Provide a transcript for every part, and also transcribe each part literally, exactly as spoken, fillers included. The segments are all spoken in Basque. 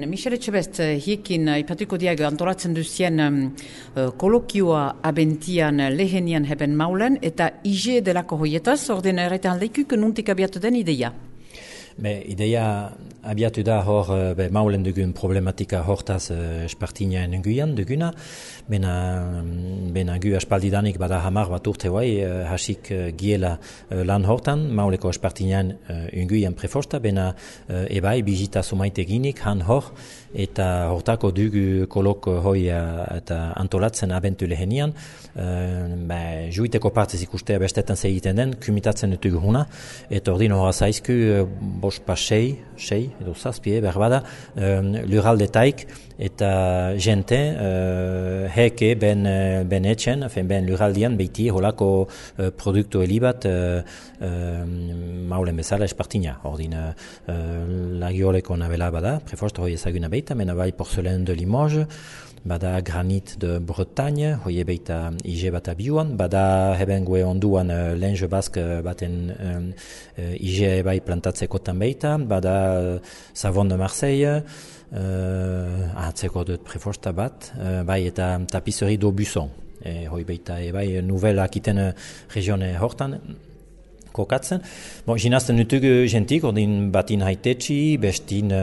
Michel Etxebest, hiekin ipatuko diago antolatzen duzien um, kolokioa abentian lehenian heben maulen eta I G delako hoietaz, orden erraiten aldeikuk nuntik abiatu den ideia? Be, ideia abiatu da hor be, maulen dugun problematika hortaz uh, espartinaen nguian duguna, bena, bena gu aspaldidanik bada hamar bat urte guai uh, hasik uh, giela uh, lan hortan, mauleko espartinaen uh, nguian prefosta, bena uh, ebai bizita sumaite ginik han hor, eta hortako dugu kolok hoi uh, eta antolatzen abentu lehenian, uh, be, juiteko partez ikustea bestetan segiten den, kumitatzen dutugu huna, eta ordin horra zaizku uh, bos pa sei, sei, edo zazpie, berbada, um, luraldetaik eta jente uh, heke ben, ben etxen, fen ben luraldian beiti holako uh, produktu helibat uh, uh, maulen bezala espartina. Ordin, uh, lagioleko nabela bada, prefost hoi ezaguna beita, mena bai porzelen de Limoges, bada granit de Bretagne, hoie beita I G bat abiuan, bada heben gue onduan uh, lenge bask baten um, uh, I G bai plantatzeko tan beita, bada uh, savon de Marseille, uh, ahatzeko dut prefosta bat, uh, bai eta tapisserie d'Aubusson, e, hoi beita e bai nouvel akiten regione hortan, kokatzen. Bon, jinazten nutugu jentik, ordin batin haitetxi, bestin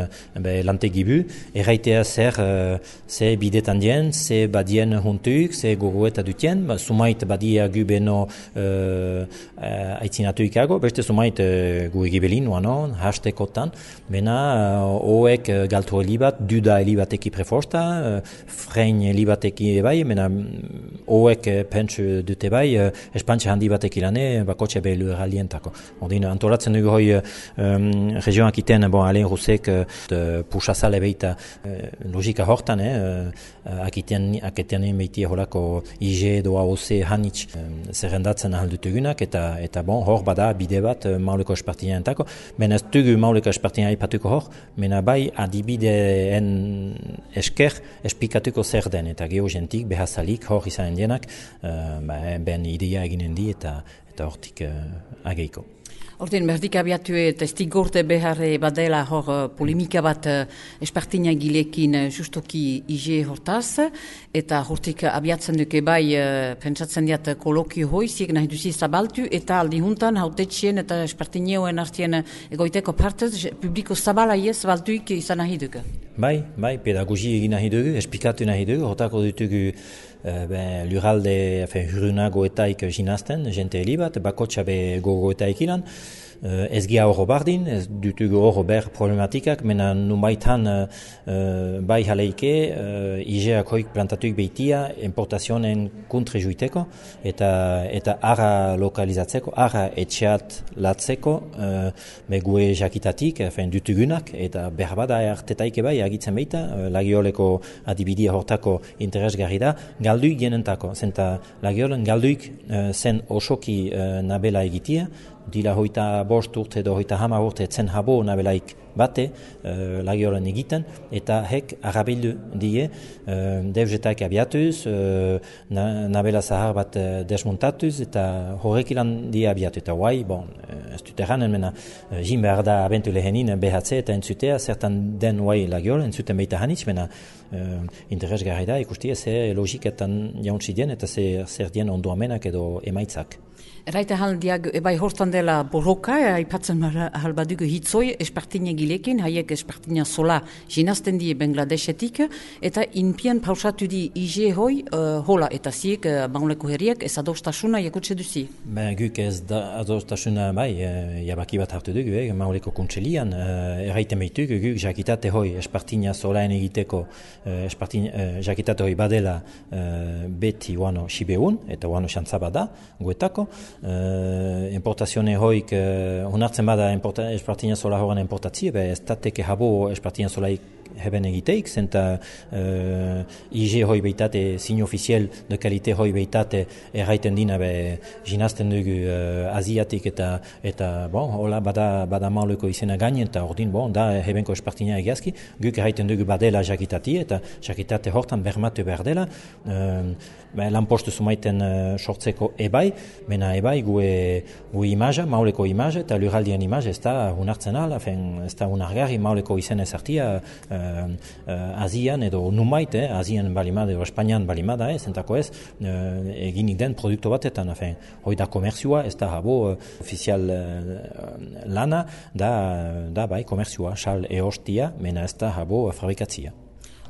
be, lantegibu, erraitea zer, uh, ze bidetan dien, ze badien huntuk, ze gogoeta dutien, ba, sumait badia gu beno uh, uh, aitzinatu ikago, beste sumait uh, gu egibelin, uanon, hastekotan, bena uh, oek uh, galtu helibat, duda helibateki prefosta, uh, frein helibateki ebai, mena oek uh, pentsu dute bai, uh, espantxe handi bateki lane, bakotxe behilu eralien. Ordin, antolatzen dugu hoi um, regionak iten, bon, Alain Roussek uh, pusazale beita uh, logika hortan, eh, uh, akiten, akiten beiti holako I G edo A O C hanitz um, zerrendatzen ahal dutugunak, eta, eta bon, hor bada bide bat uh, mauleko espartinaentako, men ez dugu mauleko espartina ipatuko hor, mena bai adibideen esker espikatuko zer den, eta geogentik behazalik hor izan dienak, uh, ben ideia eginen di, eta eta hortik uh, ageiko. Ordin, berdik abiatu eta estigorte beharre badela hor uh, polemika bat uh, espartina gilekin uh, justoki I G hortaz, eta hortik abiatzen duke bai uh, pentsatzen diat kolokio hoi, ziek nahi duzi zabaltu, eta aldi juntan hautetxien eta espartineoen artien egoiteko partez, publiko zabala iez baltuik izan nahi duke. Bai, bai, pedagogi egin nahi dugu, esplikatu nahi dugu, hortako dutugu uh, ben, luralde, afen, hurunagoetaik jinazten, jente helibat, bakotxa be gogoetaik ilan, Uh, ez gia horro bardin, ez dutugu horro ber problematikak, mena numaitan uh, uh, bai jaleike uh, I G-ak hoik plantatuik behitia importazionen kontre juiteko eta, eta ara lokalizatzeko, ara etxeat latzeko, uh, begue jakitatik, fein dutugunak, eta berbada artetaike bai agitzen behita, uh, lagioleko adibidia hortako interesgarri da, galduik genentako, zenta lagiolen galduik uh, zen osoki uh, nabela egitia, dila hoita bost urte edo hoita hama urte zen habo nabelaik bate uh, lagiolen egiten, eta hek arabildu die uh, devjetak abiatuz, uh, na, nabela zahar bat uh, desmontatuz, eta horrek ilan die abiatu. Eta guai, bon, uh, ez dut erranen, mena, uh, jin behar da abentu lehenin B H C eta entzutea, zertan den guai lagiol, entzuten behita hanitz, mena uh, interesgarri da, ikustia zer logiketan jauntzi dien, eta zer, zer dien ondoamenak edo emaitzak. Eraita haldiak, ebai hortan dela borroka, aipatzen ahal badugu hitzoi, espartina gilekin, haiek espartina sola jinazten die Bangladesetik, eta inpian pausatu di I G hoi, uh, hola, eta ziek, uh, mauleko herriak, ez adostasuna jakutse duzi? Ben, guk ez da adostasuna, bai, uh, jabaki bat hartu dugu, eh, mauleko kontselian, uh, erraiten behituk, guk jakitate hoi espartina solaen egiteko, uh, espartina, uh, jakitate hoi badela uh, beti uano sibeun, eta uano xantzabada, guetako, Uh, importazione hoik uh, honartzen bada importa, espartina sola horan importatzie, be ez tateke habo espartina solaik heben egiteik, zenta uh, I G hoi behitate, signo ofiziel de kalite hoi behitate erraiten dina be jinazten dugu uh, Asiatik eta, eta bon, hola bada, bada mauleko izena gainen, eta ordin, bon, da hebenko espartina egiazki, guk erraiten dugu badela jakitati, eta jakitate hortan bermatu behar dela, uh, lanpostu sumaiten uh, sortzeko ebai, mena ebai gue, gue imaja, mauleko imaja, eta luraldien imaja ez da unartzen ala, ez da unargarri mauleko izen ezartia, uh, uh, Azian edo numait, eh, Azian balimada edo Espainian balimada, eh, zentako ez, uh, eginik den produktu batetan, afen, hoi da komerzioa, ez da habo uh, ofizial uh, lana, da, da bai komerzioa, sal eostia, mena ez da habo fabrikatzia.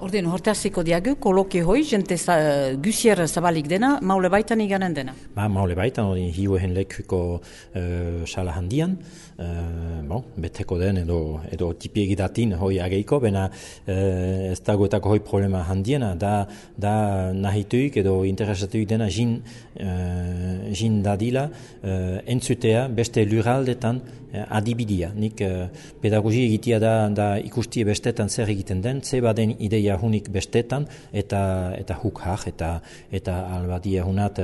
Orden, hortaziko diagu, koloke hoi, jente za, gusier zabalik dena, maule baitan iganen dena? Ba, maule baitan, hori hiuehen lekuko uh, sala handian, uh, bon, beteko den edo, edo tipiegidatin hoi ageiko, bena uh, ez dagoetako hoi problema handiena, da, da nahituik edo interesatuik dena jin, uh, jin dadila uh, entzutea beste lurraldetan uh, adibidia. Nik uh, pedagogia egitea da, da ikustie bestetan zer egiten den, ze baden ideia hunik bestetan eta eta huk har eta eta albadia hunat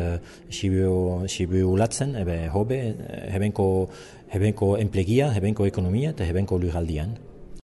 sibu sibu latzen ebe hobe hebenko hebenko enplegia, hebenko ekonomia eta hebenko lurraldian.